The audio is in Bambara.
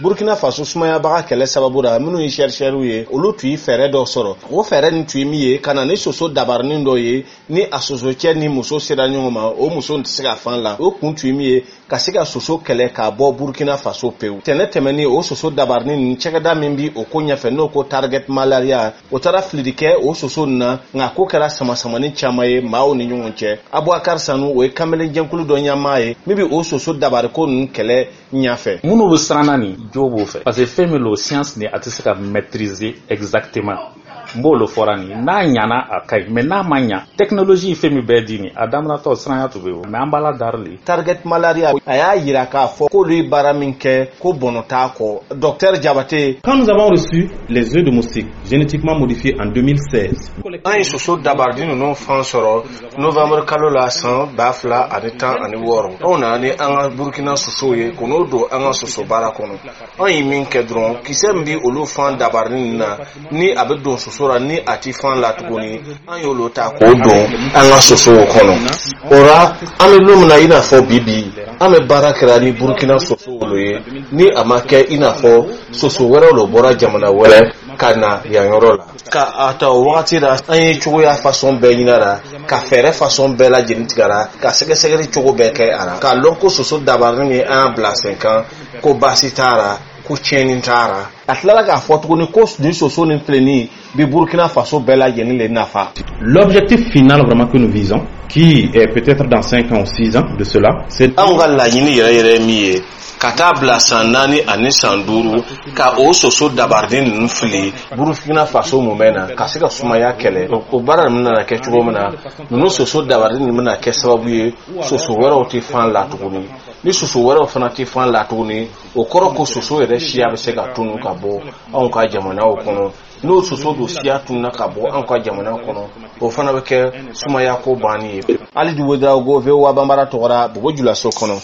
Burkina Faso sumayabaga kɛlɛ sababu la, minnu ye chercheurs ye, olu tun ye fɛɛrɛ dɔ sɔrɔ. O fɛɛrɛ nin tun ye min ye, ka na ni soso dabarinin dɔ ye, ni a sosocɛ ni muso sera ɲɔgɔn ma, o muso tɛ se ka fan la. O kun tun ye min ye, ka se ka soso kɛlɛ k'a bɔ Burkina Faso pewu. Tɛnɛ tɛmɛni, o soso dabarinin nin, cɛkɛda min bi o ko ɲɛfɛ, n'o ko Target Malaria, o taara filili kɛ o soso nin na, nka ko kɛra samasamani caman ye maaw ni ɲɔgɔn cɛ. Abubakar Sanu, o ye kamalen jɛnkulu dɔ ɲɛmaa ye min bi o soso dabariko ninnu kɛlɛ ɲɛfɛ. Minnu bɛ siran na nin jo b'o fɛ, parce que fɛn min lo, science ni a tɛ se ka maîtriser exactement. N b'o le fɔra nin, n'a ɲana, a ka ɲi, mais n'a ma ɲa, technologie fɛn min bɛɛ di nin, a daminɛtɔ siranya tun bɛ yen, mais an b'ala dari le. Target Malaria, a y'a yira k'a fɔ k'olu ye baara min kɛ, ko bɔnɔ t'a kɔ. Docteur Jabate. Quand nous avons reçu les œufs de moustiques génétiquement modifiés en 2016, An ye soso dabaridi ninnu fan sɔrɔ novembre kalo la san 2016. Anw nana ni an ka Burukina sosow ye k'o n'o don an ka soso baara kɔnɔ. An ye min kɛ dɔrɔn, kisɛ min bi olu fan dabaridi ninnu na, ni a bɛ don soso la, ni a ti fan la tuguni, an y'olu ta k'o don an ka sosow kɔnɔ. O la, an bɛ don min na i n'a fɔ bi bi, an bɛ baara kɛra ni Burukina sosow lo ye, ni a ma kɛ i n'a fɔ soso wɛrɛw lo bɔra jamana wɛrɛ ka na yan yɔrɔ la. Ka a ta o wagati la, an ye cogoya façon bɛɛ ɲini a la, ka fɛɛrɛ façon bɛɛ lajɛlen tigɛ a la, ka sɛgɛsɛgɛli cogo bɛɛ kɛ a la, k'a lɔn ko soso dabarani min an y'a bila sen kan, ko baasi t'a la, ko tiɲɛni t'a la. A tilala k'a fɔ tuguni ko nin soso nin filɛ nin bi Burkina Faso bɛɛ lajɛlen le nafa. L'objectif final vraiment que nous visons, qui est peut-être dans 5 ans ou 6 ans de cela, c'est Anw ka laɲini yɛrɛ yɛrɛ ye min ye, ka taa bila san 4 ani san 5, ka o soso dabariden ninnu fili Burukina Faso mumɛ na, ka se ka sumaya kɛlɛ. O baara ninnu nana kɛ cogo min na, ninnu soso dabariden ninnu bɛna kɛ sababu ye, soso wɛrɛw tɛ fan la tuguni. Ni soso wɛrɛw fana tɛ fan la tuguni, o kɔrɔ ko soso yɛrɛ siya bɛ se ka tunu ka bɔ anw ka jamanaw kɔnɔ. N'o soso don siya tununa ka bɔ anw ka jamana kɔnɔ, o fana bɛ kɛ sumaya ko banni ye. Alidu Wedraogo, VOA Banbara tɔgɔra, Bobo Julaso kɔnɔ.